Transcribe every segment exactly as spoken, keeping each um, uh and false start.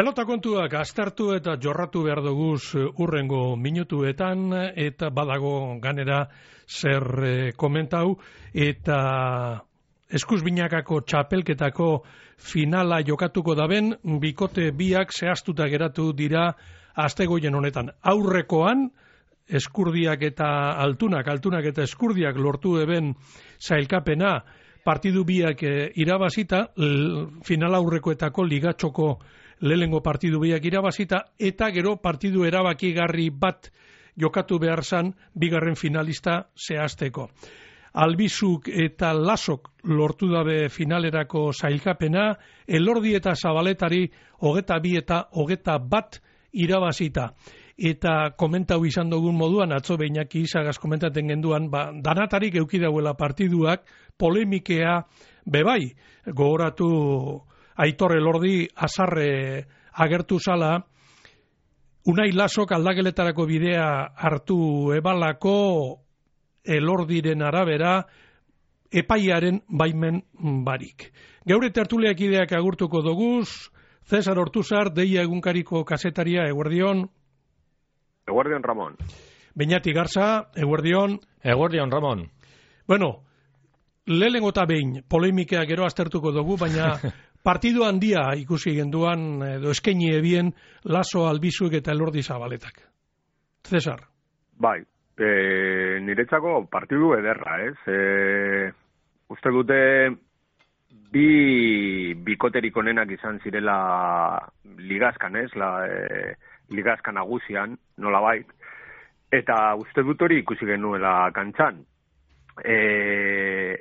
Pelota kontuak aztertu eta jorratu behar duguz urrengo minutuetan, eta badago ganera zer e, komentau, eta eskuz binakako txapelketako finala jokatuko daben, bikote biak zehaztuta geratu dira astegoien honetan. Aurrekoan, eskurdiak eta altunak, altunak eta eskurdiak lortu eben zailkapena, partidu biak e, irabazita, l, final aurrekoetako ligatxoko lehengo partidu biak irabazita, eta gero partidu erabakigarri bat jokatu behar zan bigarren finalista zehazteko. Albizuk eta Lasok lortu dabe finalerako zailkapena, Elordi eta Zabaletari hogeta bi eta hogeta bat irabazita. Eta komentau izan dugun moduan, atzo Beñaki Izagaz komentaten genduan, ba, danatarik eukidauela partiduak, polemikea bebai, gogoratu Aitor Elordi azarre agertu zala, Unai Lasok aldageletarako bidea hartu ebalako Elordiren arabera epaiaren baimen barik. Geure tertuliak ideak agurtuko doguz, Cesar Ortuzar, Deia egunkariko kasetaria, eguerdion. Eguerdion, Ramon. Beñati Garza, eguerdion. Eguerdion, Ramon. Bueno, lehenengo eta behin polemikea gero aztertuko dugu, baina partidu handia ikusi genduan, edo eskaini ebien, Laso, Albizuk eta Elordi Zabaletak. Cesar. Bai, e, niretzako partidu ederra, ez? E, uste dute bi bikoterik onenak izan zirela ligazkan, ez? La, e, ligazkan nagusian, nolabait. Eta uste dut hori ikusi genuela kantxan. E,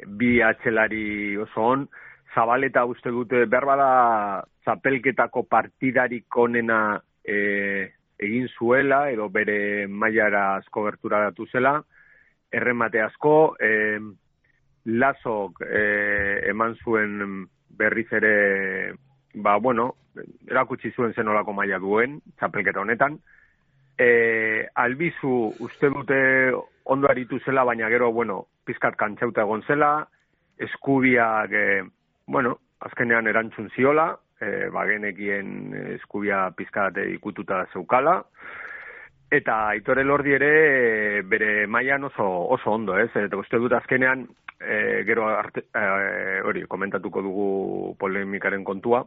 bi atxelari oso on, Zabaleta uste dute behar bada txapelketako partidarik onena e, egin zuela, edo bere mailara asko gerturatu zela, erremate asko, e, Lasok e, eman zuen berriz ere, ba, bueno, erakutsi zuen zenolako maila duen, txapelketa honetan. E, Albizu uste dute ondo aritu zela, baina gero, bueno, pizkat kantxauta egon zela, eskubiak... E, Bueno, azkenean erantzun ziola, e, bagenekien eskubia pizkate ikututa zeukala, eta Aitor Elordi ere e, bere mailan oso, oso ondo, ez? Eta uste dut azkenean, e, gero arte, e, hori, komentatuko dugu polemikaren kontua,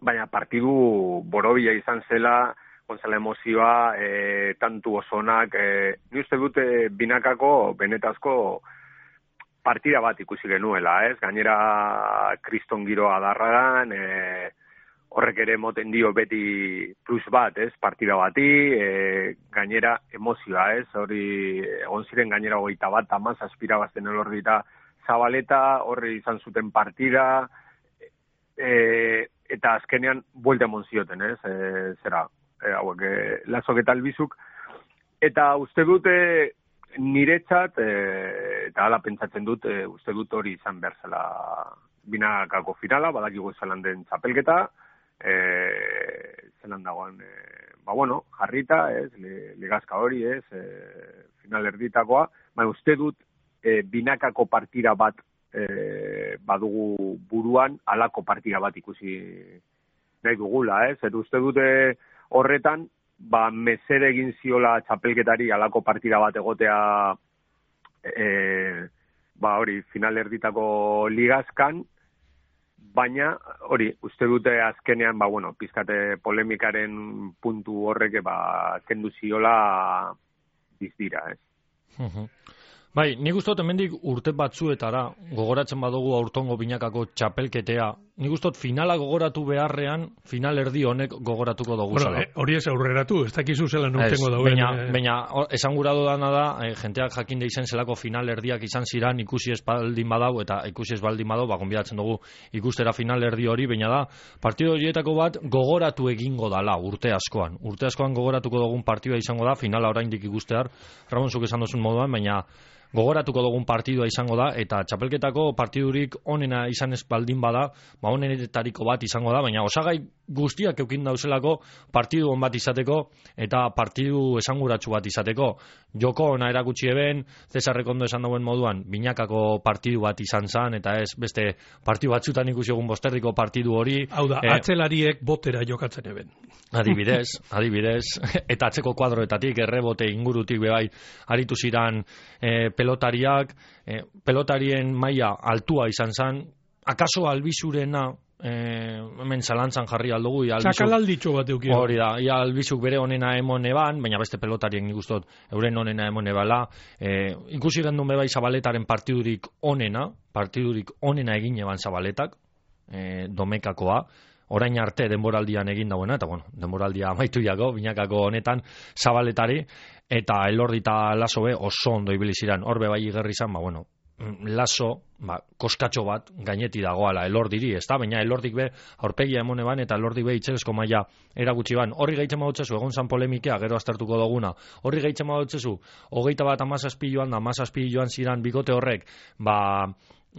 baina partidu borobila izan zela, gonzala emozioa, e, tantu osonak, e, ni uste dute binakako, benetazko, partida bat ikusi genuela, ez? Gainera kriston giro adarragan, e, horrek ere moten dio beti plus bat, ez? Partida bati, e, gainera emozioa, ez? Hori egon ziren gainera hogeita bat, amaz aspira bazten Elordi eta Zabaleta, horri izan zuten partida, e, eta azkenean buelta emon zioten, ez? E, zera, e, hauek, e, Lasok eta Albizuk, eta uste dute niretzat, e, eta hala pentsatzen dut, e, uste dut hori izan behar zela binakako finala, badakigu zelan den txapelketa, e, zelan dagoen, e, ba bueno, jarrita, ez, ligazka hori, ez, e, final erditakoa, baina uste dut e, binakako partida bat e, badugu buruan, halako partida bat ikusi nahi dugula, ez, eta uste dute horretan, ba, mesere egin ziola txapelketari alako partida bat egotea e, ba, hori, final erditako ligazkan, baina, hori, uste dute azkenean, ba, bueno, pizkate polemikaren puntu horrek, ba, kendu ziola bizdira, ez. Uh-huh. Bai, nik uste dut hemendik urte batzuetara gogoratzen badugu aurtongo binakako txapelketea, nik uste dut finala gogoratu beharrean, final erdi honek gogoratuko dugu zela. Bueno, hori ez aurreratu, ez dakizu zela nurtengo dauen. Baina, eh... baina esan gura dudana da, eh, jenteak jakin da izan zelako final erdiak izan ziran ikusi ez baldin badau, eta ikusi ez baldin badau, ba, gonbidatzen dugu ikustera final erdi hori, baina da, partido horietako bat gogoratu egingo dala urte askoan. Urte askoan gogoratuko dugun partidua izango da, finala oraindik ikustear, Ramon zuk esan duzun moduan, baina gogoratuko dugun partidua izango da, eta txapelketako partidurik onena izan ez baldin bada, ba onenetariko bat izango da, baina osagai guztiak eukin dauzelako partidu on bat izateko eta partidu esanguratsu bat izateko. Joko ona erakutsi eben, Cesarrek ondo esan dauen moduan, binakako partidu bat izan zan, eta ez beste partidu batzutan ikusi egun Bosterriko partidu hori. Hau da, eh, atzelariek botera jokatzen eben. Adibidez, adibidez, eta atzeko kuadroetatik, errebote ingurutik bebai, aritu ziran eh, pelotariak, eh, pelotarien maila altua izan zan, akaso albizurena, Eh, hemen zalantzan jarri aldugu txakalalditxo bat eukio hori da, ia albizuk bere onena emon eban, baina beste pelotarien nik ustot euren onena emon ebala, eh, ikusi gendun bebai Zabaletaren partidurik onena partidurik onena egin eban Zabaletak, eh, domekakoa orain arte denboraldian egin dauena, eta bueno, denboraldia amaitu jago, binakako honetan Zabaletari, eta Elordi eta Laso be oso ondo ibili ziran, hor bebai igerri izan, ba bueno, Laso, ba, koskatxo bat gaineti dagoala Elordiri, ez da, baina Elordik be aurpegia emone ban, eta Elordik be itxelesko maila eragutsi ban. Horri gaitzen badutzezu, egon zan polemikea, gero aztertuko duguna, horri gaitzen badutzezu, hogeita bat amazazpi joan da, amazazpi joan ziran bikote horrek, ba,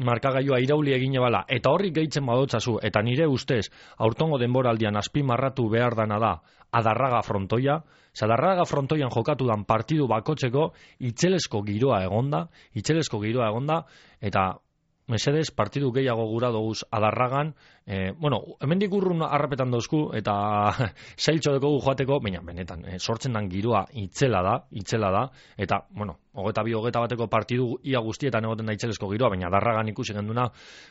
markagailua irauli egin ebala, eta horri gaitzen badutzazu, eta nire ustez, aurtongo denboraldian azpimarratu behar dana da, Adarraga frontoia, Zadarraga frontoian jokatu dan partidu bakotzeko itzelesko giroa egonda, itzelesko giroa egonda, eta mesedez partidu gehiago gura doguz Adarragan, eh, bueno, hemendik urrun harrapetan dauzku, eta zailtxo dekogu joateko, baina benetan, eh, sortzen dan giroa itzela da, itzela da, eta, bueno, hogeta bi, hogeta bateko partidu ia guztietan egoten da itzelesko giroa, baina Adarragan ikusi genduna,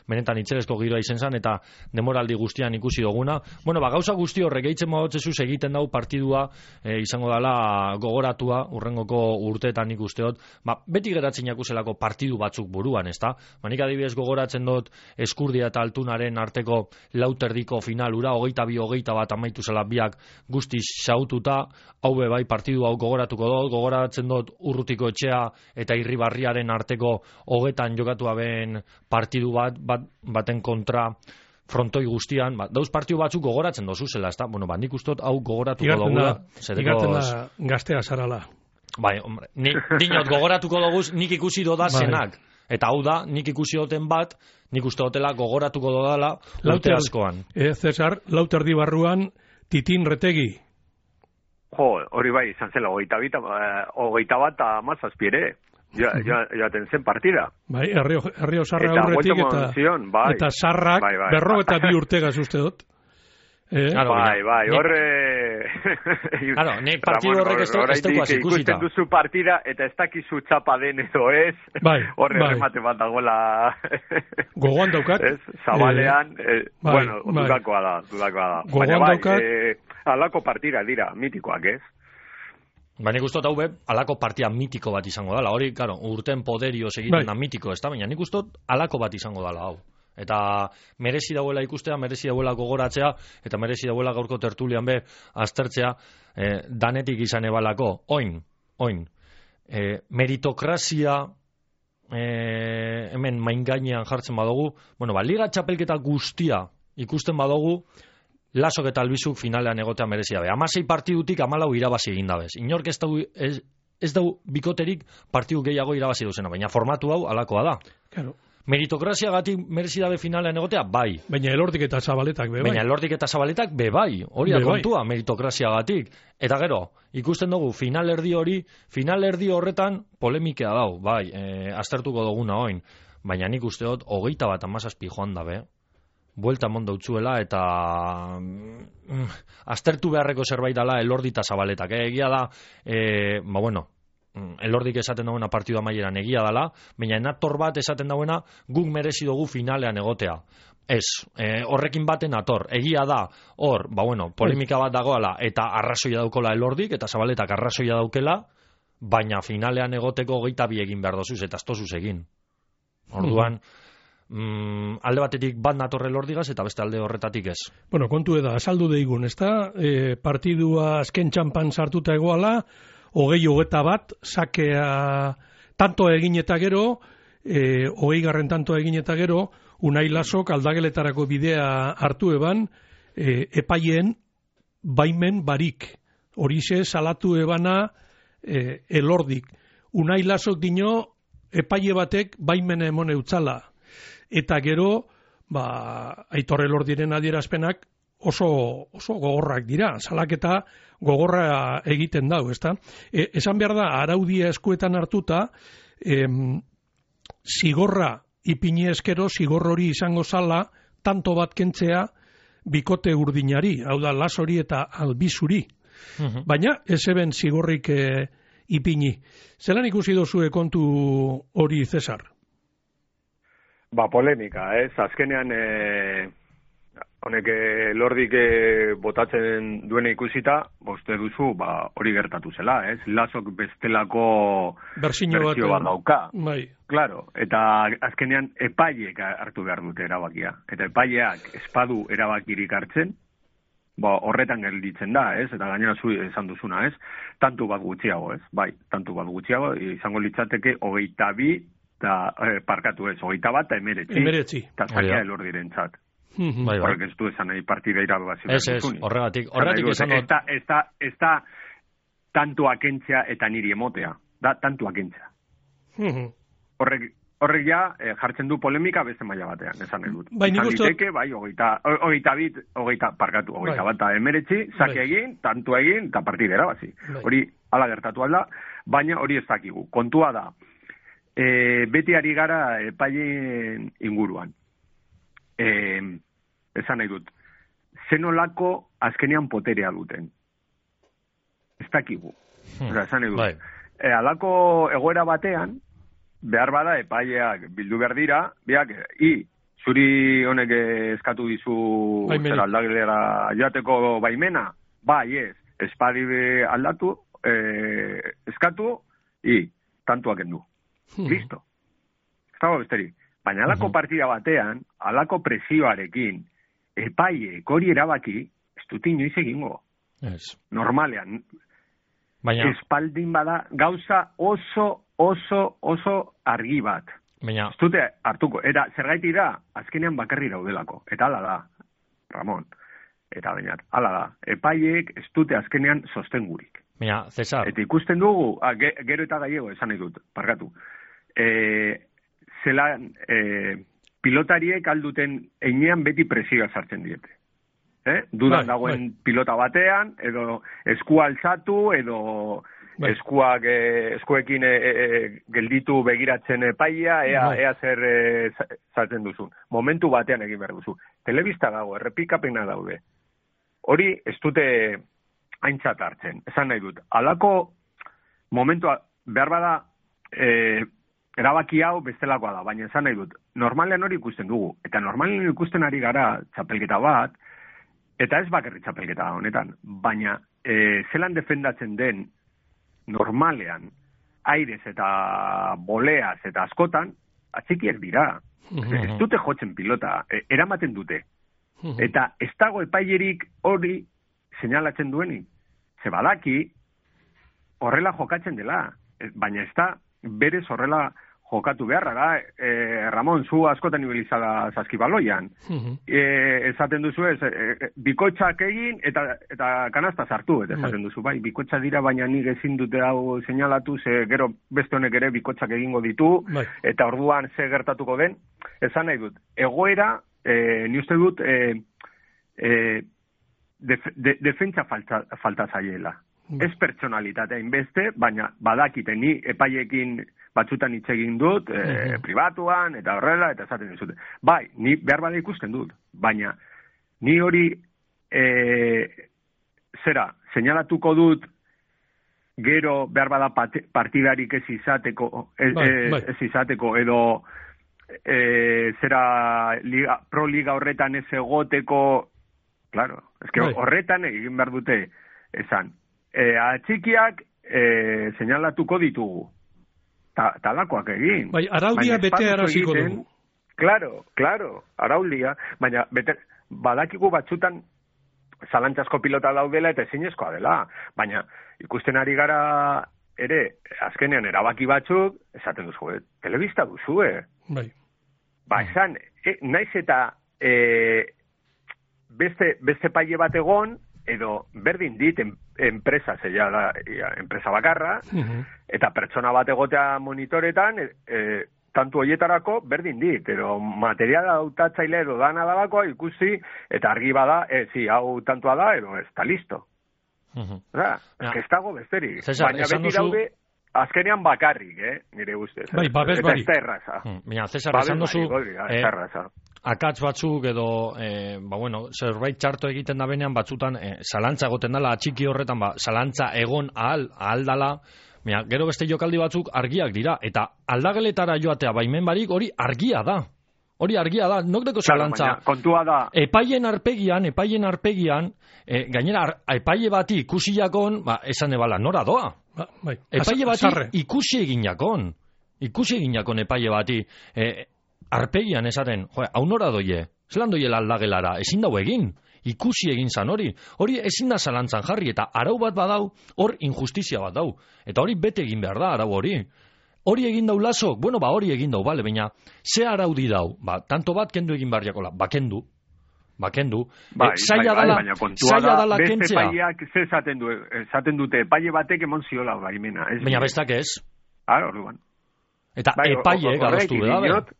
benetan itzelesko giroa izen zan, eta demoraldi guztian ikusi duguna. Bueno, ba, gauza guzti horrek eitzen magotzezuz egiten dau partidua, eh, izango dala gogoratua, urrengoko urteetan nik usteot, ba, beti geratzen jakuzelako partidu batzuk buruan, ezta? Ba, nik adibidez gogoratzen dut Eskurdia eta Altunaren arteko lauterdiko finalura, hogeita bi, hogeita bat amaitu zela biak guztiz xaututa, hau be bai partidu hau gogoratuko dut, gogoratzen dut Urrutiko Etxea eta Irribarriaren arteko hogetan jokatu aben partidu bat, bat baten kontra frontoi guztian, ba, dauz partidu batzuk gogoratzen dozu zela, ezta? Bueno, ba, nik ustot hau gogoratuko dugula. Igartzen da gaztea zarala. Bai, hombre, ni, dinot gogoratuko duguz, nik ikusi doda zenak. Eta hau da, nik ikusi duten bat, nik uste dutela gogoratuko dodala urte askoan. E, Cesar, lauterdi barruan, Titin Retegi. Jo, hori bai, izan zela, hogeita, bita, hogeita bat amazazpi ere, joaten zen partida. Bai, herri osarra aurretik eta, zion, bai. eta sarrak, bai, bai. berro eta bi urtegaz uste dut. Eh? Claro, bai, bai, horre... Claro, nek partidu horrek ez dukoaz ikusita. Ikusten duzu partida eta ez dakizu txapa den edo ez. Bai, horre bai. remate bat dagoela... Gogoan daukat. Ez, Zabalean, eh, eh, bai, bueno, bai. dudakoa da, dudakoa da. Gogoan Baina, bai, daukat. Eh, alako partida dira, mitikoak ez. Ba, nik ustot hau be, alako partia mitiko bat izango dala. Hori, claro, urten poderio egiten bai. da mitiko, ez da? Baina nik ustot alako bat izango dala hau. Eta merezi dauela ikustea, merezi dauela gogoratzea, eta merezi dauela gaurko tertulian be aztertzea, eh, danetik izan ebalako, oin, oin, eh, meritokrazia eh, hemen maingainean jartzen badugu, bueno, ba, liga txapelketa guztia ikusten badugu, Lasok eta Albizuk finalean egotea merezia be. Hamasei partidutik hamalau irabazi egin dabez. Inork ez dau, ez, ez dau bikoterik partidu gehiago irabazi duzena, baina formatu hau alakoa da. Claro. Meritokrazia gatik merezi dabe finalean egotea, bai. Baina Elordik eta Zabaletak be bai. Baina Elordik eta Zabaletak be bai. Hori da kontua, meritokrazia gatik. Eta gero, ikusten dugu, finalerdi hori, finalerdi horretan polemikea dau, bai, e, aztertuko duguna oin. Baina nik usteot, hogeita bat amazazpi joan dabe, buelta mondo utzuela, eta mm, aztertu beharreko zerbait dala Elordi eta Zabaletak. E, egia da, e, ba bueno, Elordik esaten dagoena partidu amaieran egia dala, baina enator bat esaten dagoena guk merezi dugu finalean egotea. Ez, e, horrekin baten ator, egia da, hor, ba bueno, polemika bat dagoala, eta arrazoia daukola Elordik, eta Zabaletak arrazoia daukela, baina finalean egoteko geita bi egin behar dozuz, eta astozuz egin. Orduan, mm, alde batetik bat nator Elordigaz, eta beste alde horretatik ez. Bueno, kontu eda, asaldu deigun, ez da? E, partidua azken txampan sartuta egoala, hogei hogeta bat, sakea tanto egin eta gero, e, hogei garren tanto egin eta gero, Unai Lasok aldageletarako bidea hartu eban, e, epaien baimen barik. Horixe salatu ebana e, Elordik. Unai Lasok dino epaile batek baimena emone utzala. Eta gero, ba, Aitor Elordiren adierazpenak oso, oso gogorrak dira, salaketa gogorra egiten dau, ezta? E, esan behar da, araudia eskuetan hartuta, em, zigorra ipini eskero, zigor hori izango zala, tanto bat kentzea, bikote urdinari, hau da, lasori eta albizuri. Uh-huh. Baina, ez eben zigorrik e, ipini. Zelan ikusi dozue kontu hori, Cesar? Ba, polemika, ez? Azkenean, e, honek lordik e, botatzen duena ikusita, boste duzu, ba, hori gertatu zela, ez? Lasok bestelako berzio bat dauka. Bai. Claro, eta azkenean epaileek hartu behar dute erabakia. Eta epaileak espadu erabakirik hartzen, ba, horretan gelditzen da, ez? Eta gainera zu esan duzuna, ez? Tantu bat gutxiago, ez? Bai, tantu bat gutxiago, izango litzateke hogeita bi, eta eh, parkatu ez, hogeita bat, eta emeretzi. Emeretzi. Eta zakia elor direntzat. Bai, bai. Horrek ez du esan nahi partida irabazio. Ez, ez, horregatik. Horregatik esan dut. Ez da, ez da tantu akentzea eta niri emotea. Da, tantu akentzea. Horrek, horrek ja eh, jartzen du polemika beste maila batean, esan nahi dut. Bai, nik uste... Bai, hogeita, hogeita bit, hogeita, parkatu, hogeita bai. Bat eta emeretzi, zaki bai. Egin, tantu egin, eta partida erabazi. Bai. Hori, ala gertatu alda, baina hori ez dakigu. Kontua da, e, beti ari gara epaileen inguruan. E, esan nahi dut, zenolako azkenean poterea duten. Ez dakigu. Hmm. Oza, esan nahi dut. Bai. E, alako egoera batean, behar bada epaileak bildu behar dira, biak, i, zuri honek eskatu dizu zer aldagilera joateko baimena, bai ez, espadi aldatu, eh, eskatu, i, tantuak endu. Hmm. Listo. Ez dago besteri. Baina alako partida batean, alako presioarekin, epaileek hori erabaki, ez dut inoiz egingo. Yes. Normalean. Baina... espaldin bada gauza oso oso, oso argi bat. Baina... Ez dute hartuko. Eta zergaiti da, azkenean bakarri daudelako. Eta ala da, Ramon. Eta bainat, ala da. Epaileek ez dute azkenean sostengurik. Baina, Cesar... Eta ikusten dugu, a, ge, gero eta gaiego esan nahi dut, parkatu. E, zelan, e, pilotariek alduten einean beti presioa sartzen diete. Eh? Dudan bai, dagoen bai. Pilota batean, edo eskua altzatu, edo... Bai. Eskuak, eh, eskuekin eh, eh, gelditu begiratzen epaia, ea, bai. ea zer eh, zaten duzun. Momentu batean egin behar duzu. Telebista dago, errepikapena daude. Hori ez dute aintzat hartzen, esan nahi dut. Halako momentua, behar bada, eh, erabaki hau bestelakoa da, baina esan nahi dut. Normalean hori ikusten dugu, eta normalean ikusten ari gara txapelketa bat, eta ez bakarri txapelketa honetan, baina eh, zelan defendatzen den, normalean, airez eta boleaz eta askotan, atxikiak dira. Uh-huh. Ez dute jotzen pilota, e, eramaten dute. Uh-huh. Eta ez dago epailerik hori seinalatzen duenik. Ze badaki, horrela jokatzen dela. Baina ez da, berez horrela jokatu beharra da. E, Ramon, zu askotan ibilizala zaskibaloian. Uh-huh. E, esaten duzu ez, e, bikotxak egin eta eta kanasta sartu. Eta esaten duzu, bai, bikotxa dira, baina nik ezin dute hau seinalatu, ze gero beste honek ere bikotxak egingo ditu, bai. Eta orduan ze gertatuko den. Esan nahi dut, egoera, e, ni uste dut, e, e, def, de, defentsa falta, falta zaiela. Bai. Ez pertsonalitatea inbeste, baina badakite ni epaiekin batzutan hitz egin dut, e, uh-huh. pribatuan, eta horrela, eta esaten dizute. Bai, ni behar bada ikusten dut, baina ni hori e, zera, seinalatuko dut gero behar bada partidarik ez izateko, ez, bai, bai. ez izateko, edo e, zera liga, pro liga horretan ez egoteko, claro, ez que bai. Horretan egin behar dute esan. E, atxikiak e, seinalatuko ditugu. Ta, talakoak egin. Bai, araudia bete araziko dugu. Claro, claro, araudia, baina bete, badakigu batzutan zalantzasko pilota daudela eta ezinezkoa dela, baina ikusten ari gara ere, azkenean erabaki batzuk, esaten duzu, eh? Telebista duzu, eh? Bai. Ba, esan, eh, naiz eta eh, beste, beste paile bat egon, edo berdin dit en, enpresa zeia da, enpresa bakarra, uh-huh. Eta pertsona bat egotea monitoretan, e, tantu hoietarako berdin dit, pero materiala hautatzaile edo dana dalako ikusi, eta argi bada, ez, zi, hau tantua da, edo ez, ta listo. Uh-huh. Da, ja. ez dago besterik. Cesar, baina beti duzu... daude, azkenean bakarrik, eh, nire ustez. Bai, babes eta bari. ez da erraza. Hmm. Baina, Cesar, esan duzu... Ez da erraza. Akats batzuk edo, eh, ba, bueno, zerbait txarto egiten da benean batzutan, eh, zalantza egoten dela, atxiki horretan, ba, zalantza egon ahal, ahal dala, mira, gero beste jokaldi batzuk argiak dira, eta aldageletara joatea baimen barik hori argia da. Hori argia da, nok deko zalantza. Claro, kontua da. Epaien arpegian, epaien arpegian, eh, gainera, ar, epaile bati ikusiakon, ba, esan ebala, nora doa. Ba, bai. Epaile bati Azarre. ikusi eginakon. Ikusi eginakon epaile bati. Eh, arpegian esaten, jo, hau nora doie, zelan doiela aldagelara, ezin dau egin, ikusi egin zan hori, hori ezin da zalantzan jarri, eta arau bat badau, hor injustizia bat dau, eta hori bete egin behar da, arau hori. Hori egin dau lasok, bueno, ba hori egin dau, bale, baina, ze araudi dau, ba, tanto bat kendu egin behar jakola, ba, kendu, ba, kendu, bai, e, zaila bai, dala, bai, baina zaila da, dala beste kentzea. epaileak ze esaten du, esaten dute, epaile batek emon ziola baimena. Ez Baina bine. bestak ez, Ah, orduan. eta Bai, epaile horregatik garaztu da, dinot,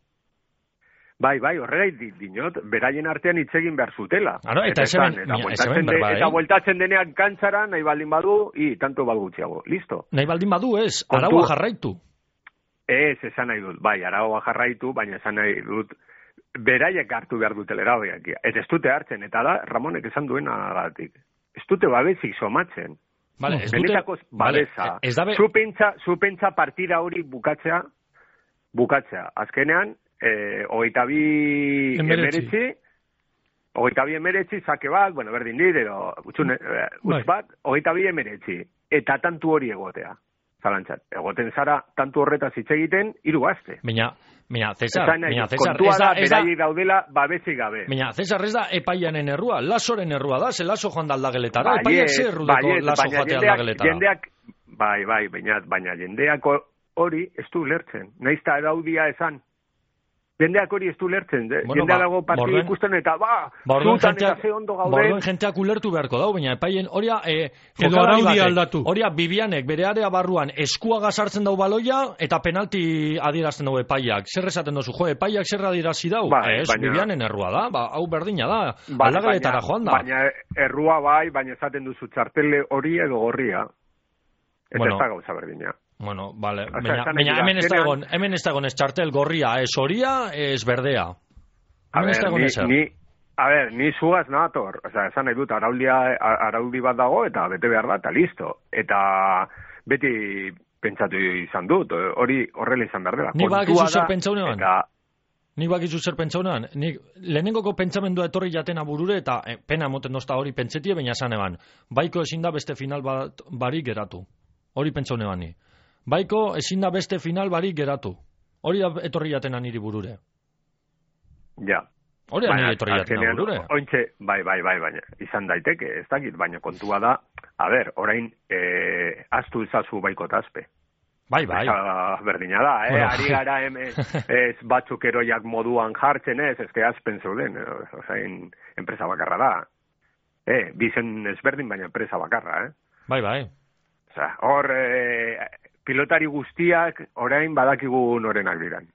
Bai, bai, horregaitik dinot, beraien artean hitz egin behar zutela. Aro, eta ez esan, hemen- eta mira, ez bueltatzen hemen de- berba, eh? eta bueltatzen denean kantzara, nahi baldin badu, i, tanto bat gutxiago. Listo. nahi baldin badu ez, Kontua- araua jarraitu. Ez, esan nahi dut, bai, aragoa jarraitu, baina esan nahi dut, beraiek hartu behar dutela erabakiak. Eta ez dute hartzen, eta da, Ramonek esan duenagatik. Ez dute babesik somatzen. Vale, ez dute, Benetako babesa. vale, ez dabe, Zu pentsa, zu pentsa partida hori bukatzea, bukatzea. Azkenean, eh, hogeita bi Emeretzi. emeretzi, hogeita bi emeretzi, zake bat, bueno, berdin dit, edo, utxun, eh, Bai. utz bat, hogeita bi emeretzi. Eta tantu hori egotea. Zalantzat. Egoten zara, tantu horretaz hitz egiten, hiru aste. Baina, baina, Cesar, Esan nahi baina, dut, Cesar, kontua ez da, da, ez da, beraiek daudela babesik gabe. baina, Cesar, ez da epaianen errua, lasoren errua da, ze laso joan da aldageletara, Baiet, epaiak zer errudeko baiet, laso baina joatea jendeak- aldageletara. Jendeak, bai, bai, baina, baina jendeak hori ez du lertzen. Naiz eta araudia esan. Jendeak hori ez du lertzen. Bueno, Jendea ba, dago partidu borduen- ikusten eta, ba, Borduen zutan eta jenteak, ze ondo borduen gauden. jenteak ulertu beharko dau, baina epaien, horia, e, Edo jokalari araudia batek, aldatu. horia, Bibianek bere area barruan eskua gazartzen dau baloia, eta penalti adierazten dau epaiak. Zer esaten dozu, jo, epaiak zer adierazi dau? Bai, ez, baina- Bibianen errua da, ba, hau berdina da, Bai, aldageletara baina- joan da. Baina errua bai, baina esaten duzu txartele hori edo gorria. Eta Bueno. ez da gauza berdina. Bueno, vale, Osea, baina, esan nahi baina dira, hemen ez da azkenean- egon, hemen ez da egon ez txartel gorria, ez horia, ez berdea. A Hemen ez da ber, egon ni, ezer. ni, a ber, ni zugaz nator. Osea, esan nahi dut, araudia, araudi bat dago eta bete behar da, eta listo. Eta beti pentsatu izan dut, hori horrela izan behar dela. Ni Kontua bakizu zer da, pentsaunean? Eta, Nik bakizu zer pentsaunean, nik lehenengoko pentsamendua etorri jatena burure eta eh, pena emoten dozta hori pentsetie, baina esan eban, baiko ezin da beste final bat barik geratu. Hori pentsaunean ni. Baiko ezin da beste final barik geratu. Hori da etorri jatena niri burure. ja. Hori da Baina, niri etorri jatena azkenean, burure. ointxe, bai, bai, bai, baina, izan daiteke, ez dakit, baina kontua da, a ber, orain, eh, astu izazu baiko tazpe. Bai, bai. Esa berdina da, eh? Bueno. Ari gara hemen, ez batzuk eroiak moduan jartzen ez, ez que azpen zeuden, eh? Osain, enpresa bakarra da. Eh, bizen ezberdin, baina enpresa bakarra, eh? Bai, bai. Osa, hor, eh, pilotari guztiak orain badakigu norenak diran.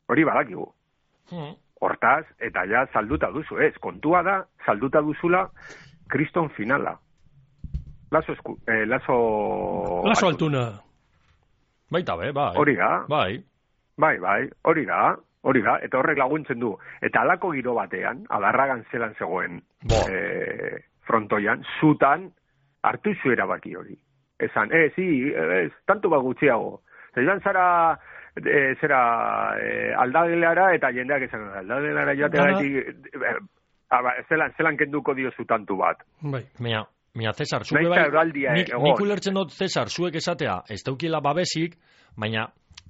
Hori badakigu. Hortaz, eta ja salduta duzu, ez, kontua da, salduta duzula kriston finala. Lazo, esku, eh, lazo... Laso altuna. Baita be, bai. Hori da, Bai. bai, bai, hori da, hori da, eta horrek laguntzen du. Eta halako giro batean, adarragan zelan zegoen Bo. eh, frontoian, zutan hartu zu erabaki hori. Esan, ez, zi, ez, tanto bat gutxiago. Zeran zara, e, zera, e, aldagelara eta jendeak esan, aldagelara joatea Dana- gaitik, e, aba, zelan, zelan kenduko diozu tantu bat. Bai. Mira, mira, Cesar, zuke Nahiz bai, eta erraldia nik, egon. nik ulertzen dut, Cesar, zuek esatea, ez daukiela babesik, baina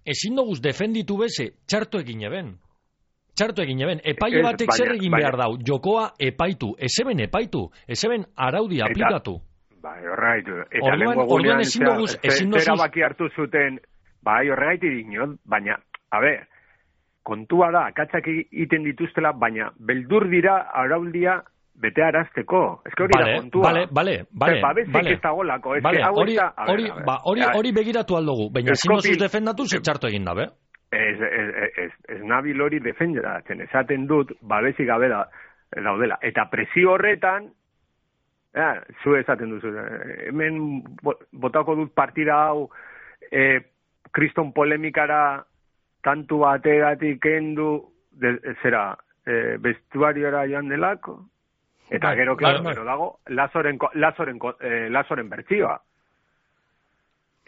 ezin doguz defenditu beze, txarto egin eben. Txarto egin eben. Epaile Ez, batek baina- zer egin baina- behar dau, jokoa epaitu, ezeben epaitu, ezeben araudi Eta- aplikatu. Bai, horregaitu. Eta Orduan- lehengo orduan egunean ezin zera- doguz- ze- ezin doguz- zerabaki hartu zuten, bai, horregaiti dinot, baina, a ber, kontua da, akatsak egiten dituztela, baina beldur dira araudia bete arazteko. Ez que hori vale, da kontua. Bale, bale, bale. Babesik vale. ez dagolako. Ez vale, que hau hori, ez da... A hori, ver, a ver. ba, hori, hori begiratu aldugu, baina ezin dozuz defendatu ze txarto egin dabe. Ez, ez, ez, ez nabil hori defendatzen, esaten dut, babesik gabe da, daudela. Eta presio horretan, ja, zu esaten duzu, hemen botako dut partida hau, eh, kriston polemikara, tantu bategatik kendu, de, zera, eh, bestuariora joan delako, eta gero, klaro, gero dago, lazoren, lazoren, eh, lazoren bertsioa.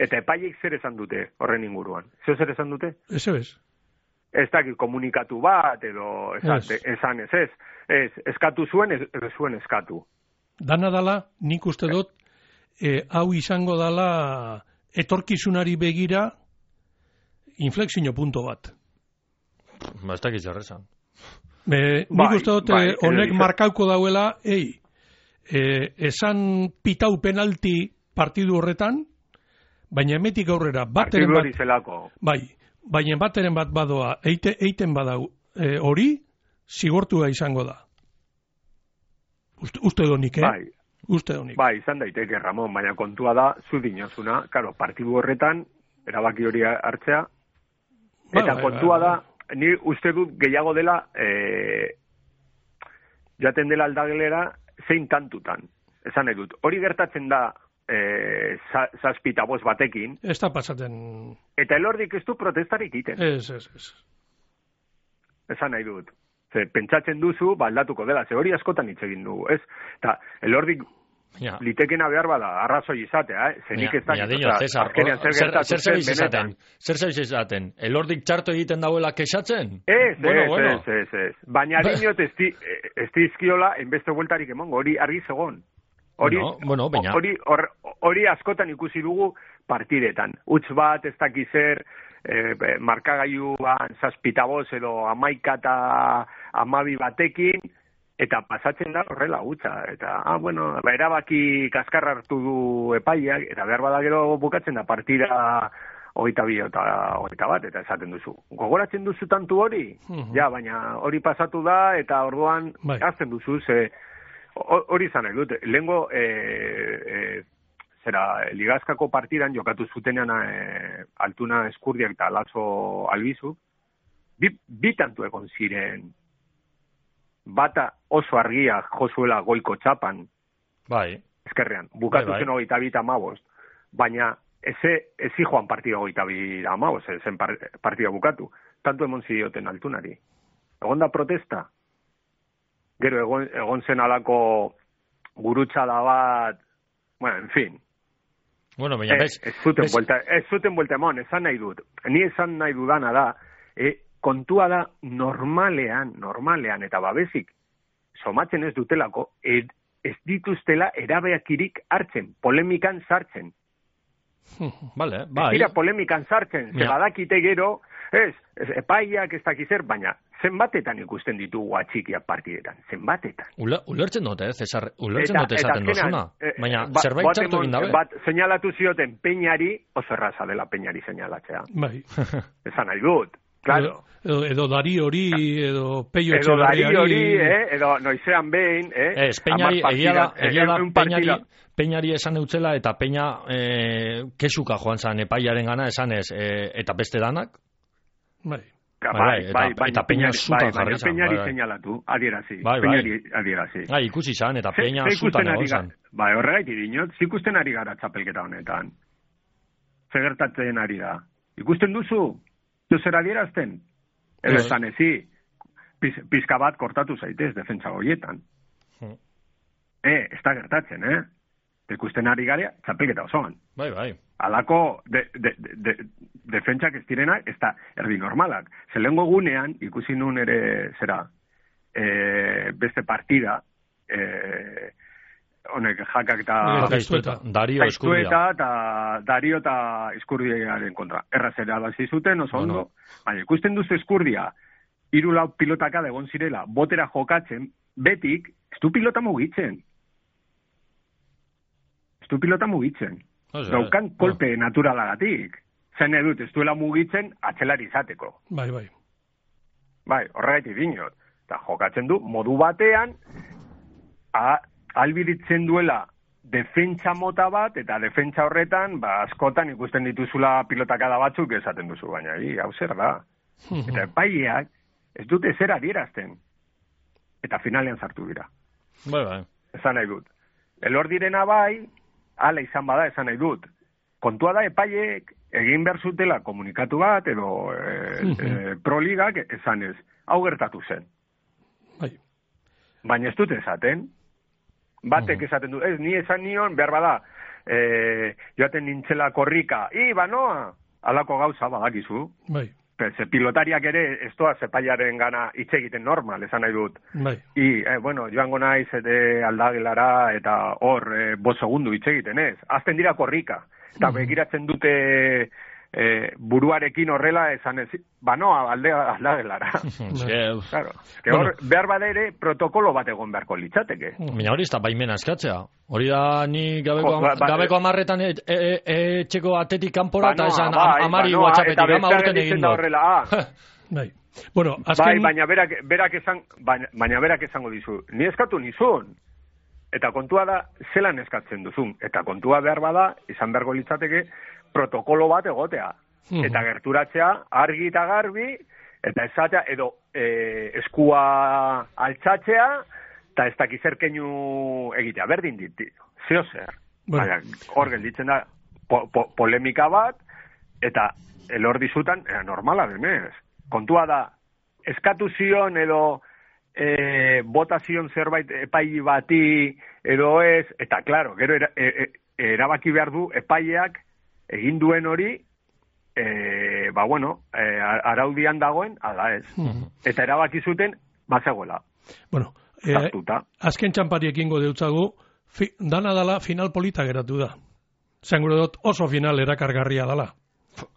Eta epaiek zer esan dute horren inguruan? Zer zer esan dute? Eso es. Ez dakit komunikatu bat, edo esan, yes. esan ez ez. Ez, eskatu zuen, ez, ez zuen eskatu. Dana dala, nik uste dut, eh, hau izango dala etorkizunari begira inflexio punto bat. Ba, ez dakit jarrezan. Nik bai, uste dut, bai, honek markauko dauela, ei, eh, esan pitau penalti partidu horretan, baina emetik aurrera bateren bat, bai, baina bateren bat badoa, eite, eiten badau e, hori, zigortua izango da. Uste, uste donik, eh? Bai. Uste donik. Bai, izan daiteke, Ramon, baina kontua da, zu dinozuna, karo, partidu horretan, erabaki hori hartzea, eta bai, bai, kontua bai, bai. da, ni uste dut gehiago dela, e, jaten dela aldagelera, zein tantutan. Esan nahi dut, hori gertatzen da, Eh, zazpita bost batekin. Ez da pasaten... Eta elordik ez du protestarik iten. Ez, ez, ez. Esan nahi dut. Ze, pentsatzen duzu, baldatuko dela. Ze hori askotan hitz egin dugu, ez? Eta elordik ja. litekena behar bada, arrazoi izatea, eh? Zenik ez da... Zer zaiz izaten? Zer zaiz izaten? Elordik txarto egiten dauela kexatzen? Ez, bueno, ez, bueno. ez, ez, ez. Baina dinot ez dizkiola, enbeste bueltarik emongo, hori argi zegon. Hori, bueno, bueno, hori, hori askotan ikusi dugu partidetan. Utz bat, ez dakiz zer, eh, markagailuan zazpitaboz edo amaika eta amabi batekin, eta pasatzen da horrela utza. Eta, ah, bueno, ba, erabaki kaskarra hartu du epaiak, eta behar bada gero bukatzen da partida hogeita bi eta hogeita bat, eta esaten duzu. Gogoratzen duzu tantu hori? Uh-huh. Ja, baina hori pasatu da, eta orduan bai. Azten duzu, ze... Hori izan nahi dut, lehengo e, e, zera, ligazkako partidan jokatu zutenean e, Altuna Eskurdiak eta Lazo Albizu, bi, bi tantu egon ziren, bata oso argia jozuela goiko txapan, bai. Ezkerrean, bukatu bai, bai. zen hogeita bi eta amabost, baina eze, ezi joan partida hogeita bi eta amabost, zen partida bukatu, tantu emon zidioten Altunari. Egon da protesta? Gero egon, egon zen alako gurutxada bat, bueno, en fin. Bueno, baina bez... Ez zuten vuelta, ez zuten vuelta emon, esan nahi dut. Ni esan nahi dudana da, e, kontua da normalean, normalean, eta babesik, somatzen ez dutelako, ed, ez dituztela erabeakirik hartzen, polemikan sartzen. Vale, bai. Ez dira polemikan sartzen, ze badakite gero, ez, ez epaiak ez dakizer, baina zenbatetan ikusten ditugu atxikiak partidetan, zenbatetan. Ula, ulertzen dute, eh, Cesar, ulertzen dute esaten dozuna, baina ba, zerbait txartu egin dabe. Bat seinalatu zioten Peñari, oso erraza dela Peñari seinalatzea. Bai. Esan nahi dut, claro. Edo, edo dari hori, edo peio edo dari hori, eh, edo noizean behin, eh. Ez, Peñari, egia da, egia da Peñari, Peñari esan eutzela, eta Peña eh, kesuka joan zan epaiaren gana, esan ez, eh, eta beste danak. Bai. Bai, bai, bai, bai, eta Peña zutan jarri zan. Peñari seinalatu, adierazi. Bai, bai. Peñari adierazi. Bai, ikusi zan, eta Peña zutan egon zan. Bai, horregaiti dinot, zikusten ari gara txapelketa honetan. Zegertatzen ari da. Ikusten duzu? Zer adierazten? Edo esan ezi, piz, pizka bat kortatu zaitez defentsa horietan. Hmm. Eh, ez da gertatzen, eh? Ikusten ari gara txapelketa osoan. Bai, bai. Alako de, de, de, de, defentsak ez direnak, ez da erdi normalak. Zelengo gunean, ikusi nun ere, zera, e, beste partida, e, honek jakak eta... Dario Eskurdia. Eta Dario eta Eskurdiaren kontra. Errazera bazi zuten, oso ondo. Bueno. Baina, ikusten duzu Eskurdia, hiru lau pilotaka egon zirela, botera jokatzen, betik, ez du pilota mugitzen. Ez du pilota mugitzen. O sea, daukan kolpe no. naturalagatik. Zen edut, ez duela mugitzen atzelari izateko. Bai, bai. Bai, horregaitik dinot. Eta jokatzen du, modu batean, albiritzen duela defentsa mota bat, eta defentsa horretan, ba, askotan ikusten dituzula pilotakada batzuk esaten duzu, baina, hi, hau zer da. Eta epaileak ez dute zer adierazten. Eta finalean sartu dira. Bai, bai. Esan nahi dut. Elor direna bai, ala izan bada esan nahi dut. Kontua da epaileek egin behar zutela komunikatu bat, edo e, e, proligak esan ez. Hau gertatu zen. Bai. Baina ez dute esaten. Batek esaten du, ez, ni esan nion, behar bada, e, joaten nintzela korrika, i, banoa, alako gauza badakizu. Bai. Ze pilotariak ere, ez doa zepaiaren gana hitz egiten normal, esan nahi dut. Bai. I, eh, bueno, joango naiz ete aldagelara, eta hor, eh, bo segundu hitz egiten ez. Azten dira korrika. Eta begiratzen dute eh, buruarekin horrela esan ez, banoa, alde, aldagelara. Claro. Que hor, bueno, behar badere, protokolo bat egon beharko litzateke. Baina hori ez da baimena eskatzea. Hori da ni gabeko, oh, ba, ba, gabeko amarretan etxeko e, e, atetik kanpora eta esan ba, amari ba, whatsappetik ama urten egin dut. Bai. Bueno, azken... Bai, baina berak, berak, esan, baina, baina berak esango dizu. Ni eskatu nizun. Eta kontua da, zelan eskatzen duzun. Eta kontua behar bada, izan beharko litzateke, protokolo bat egotea. Mm. Eta gerturatzea, argi eta garbi, eta esatea, edo e, eskua altzatzea, eta ez dakizerkeinu egitea. Berdin dit, zeo zer. Bueno. Hor gelditzen da, po, po, polemika bat, eta elor dizutan, era normala denez. Kontua da, eskatu zion edo e, botazion zerbait epai bati edo ez, eta klaro, gero era, e, e, erabaki behar du epaileak egin duen hori, e, ba bueno, e, araudian dagoen, ala ez. Mm-hmm. Eta erabaki zuten, bazegoela. Bueno, e, azken txampari ekingo deutzagu, fi, dana dala final polita geratu da. Zengure dut oso final erakargarria dala.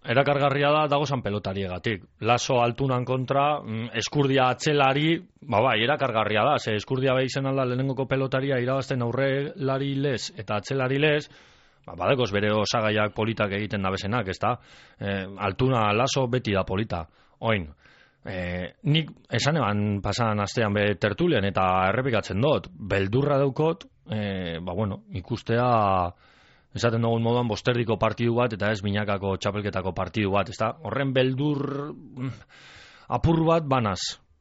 Erakargarria da dagozan pelotariegatik. Laso altunan kontra, eskurdia atzelari, ba bai, erakargarria da. Ze eskurdia behi zen alda lehenengoko pelotaria irabazten aurrelari lez eta atzelari lez, ba, badekoz bere osagaiak politak egiten dabezenak, ez da? E, altuna laso beti da polita. Oin, e, nik esan eban pasan astean be tertulian eta errepikatzen dut, beldurra daukot, e, ba bueno, ikustea... Esaten dugun moduan bosterdiko partidu bat eta ez binakako txapelketako partidu bat, ezta? Horren beldur apur bat banaz,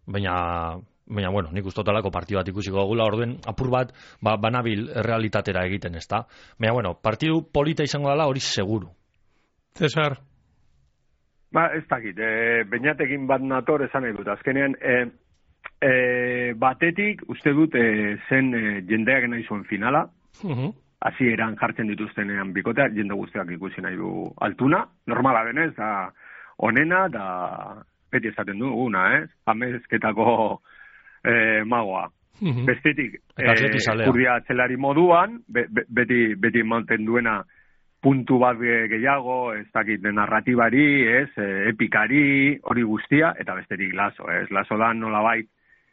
baina, baina bueno, nik ustotalako partidu bat ikusiko dugula, orduen apur bat ba, banabil realitatera egiten, ezta? Baina, bueno, partidu polita izango dela hori seguru. Cesar? Ba, ez dakit, e, bainatekin bat nator esan nahi dut, azkenean, e, e, batetik uste dut e, zen e, jendeak nahi zuen finala, uh-huh. Hasi eran jartzen dituztenean bikotea, jende guztiak ikusi nahi du altuna, normala denez, da onena, da beti esaten du, una, ez? Eh? Amezketako eh, magoa. Mm-hmm. Bestetik, eskurdia eh, atzelari moduan, be, be, beti, beti manten duena puntu bat gehiago, ez dakit narratibari, ez, epikari, hori guztia, eta bestetik laso, ez? Laso da nolabait,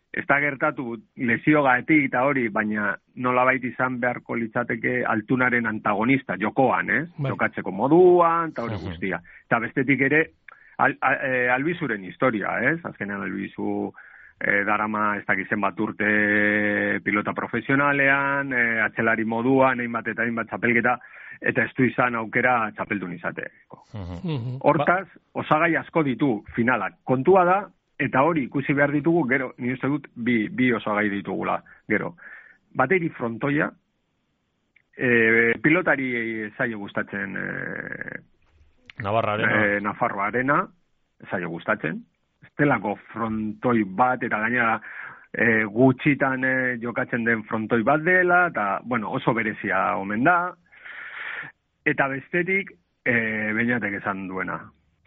ez da gertatu lesiogaetik eta hori, baina nolabait izan beharko litzateke altunaren antagonista, jokoan, eh? Bai. Jokatzeko moduan, eta hori guztia. Eta bestetik ere, al, al, e, albizuren historia, ez? Azkenean albizu e, darama ez dakizen bat urte pilota profesionalean, e, atzelari moduan, hainbat eta hainbat txapelketa, eta ez du izan aukera txapeldun izateko. Uh-huh. Hortaz, osagai asko ditu finalak. Kontua da, eta hori ikusi behar ditugu, gero, ni uste dut, bi, bi osagai ditugula, gero. Bateri frontoia, e, pilotari zailo gustatzen e, Navarra arena. E, Nafarroa arena, zailo gustatzen. Estelako frontoi bat, eta gainera e, gutxitan e, jokatzen den frontoi bat dela, eta, bueno, oso berezia omen da. Eta bestetik, e, Beñatek esan duena.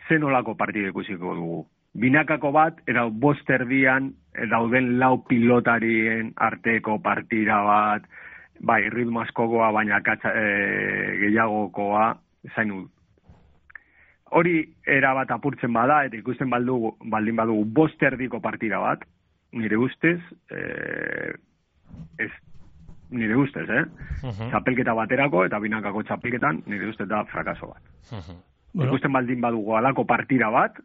Zenolako partide ikusiko dugu. Binakako bat, eta bost erdian, dauden lau pilotarien arteko partida bat, bai, ritmo askokoa, baina katsa, e, gehiagokoa, zain dut. Hori erabat apurtzen bada, eta ikusten baldugu, baldin badugu bost erdiko partida bat, nire ustez, e, ez, nire ustez, eh? Uh-huh. Txapelketa baterako, eta binakako txapelketan, nire ustez da frakaso bat. Uh-huh. Bueno. Ikusten baldin badugu alako partida bat,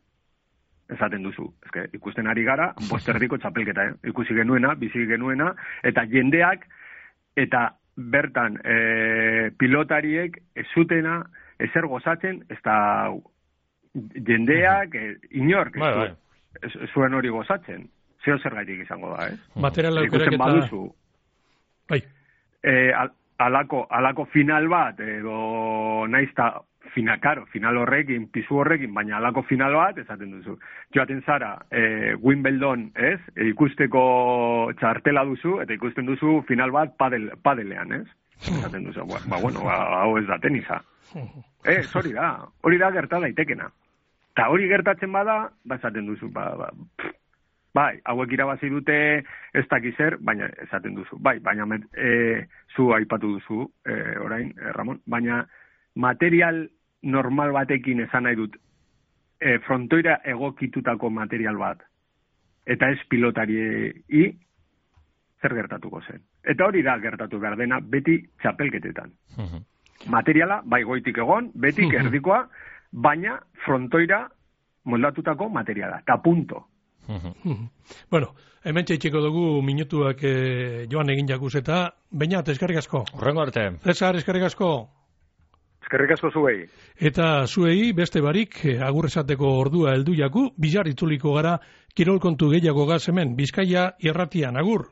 esaten duzu. Eske, ikusten ari gara, bost erdiko txapelketa, eh? Ikusi genuena, bizi genuena, eta jendeak eta bertan e, pilotariek ez zutena ezer gozatzen, ez da jendeak, e, inork, bai, bai. ez, ez zuen hori gozatzen. Zeo zer gaitik izango da, eh? Material aukerak eta... baduzu. Bai. E, al, alako, alako final bat, edo naizta final, karo, final horrekin, pisu horrekin, baina alako final bat, esaten duzu. Joaten zara, e, Wimbledon, ez? E, ikusteko txartela duzu, eta ikusten duzu final bat padel, padelean, ez? Esaten duzu, ba, ba bueno, ba, hau ez da tenisa. Ez, hori da, hori da gerta daitekena. Eta hori gertatzen bada, ba, esaten duzu, ba, ba, pff, bai, hauek irabazi dute ez dakizer, baina esaten duzu, bai, baina e, zu aipatu duzu, e, orain, e, Ramon, baina material normal batekin esan nahi dut, e, frontoira egokitutako material bat, eta ez pilotari zer gertatuko zen. Eta hori da gertatu behar dena beti txapelketetan. Uh-huh. Materiala, bai goitik egon, betik uh-huh. erdikoa, baina frontoira moldatutako materiala, eta punto. Uh-huh. Bueno, hemen txeitxeko dugu minutuak eh, joan egin jakuz eta Beñat, eskerrik asko. Horrengo arte. Cesar, eskerrik asko. Eskerrik asko zuei. Eta zuei beste barik agur esateko ordua heldu jaku, bizar itzuliko gara kirol kontu gehiago gaz hemen, Bizkaia irratian, agur.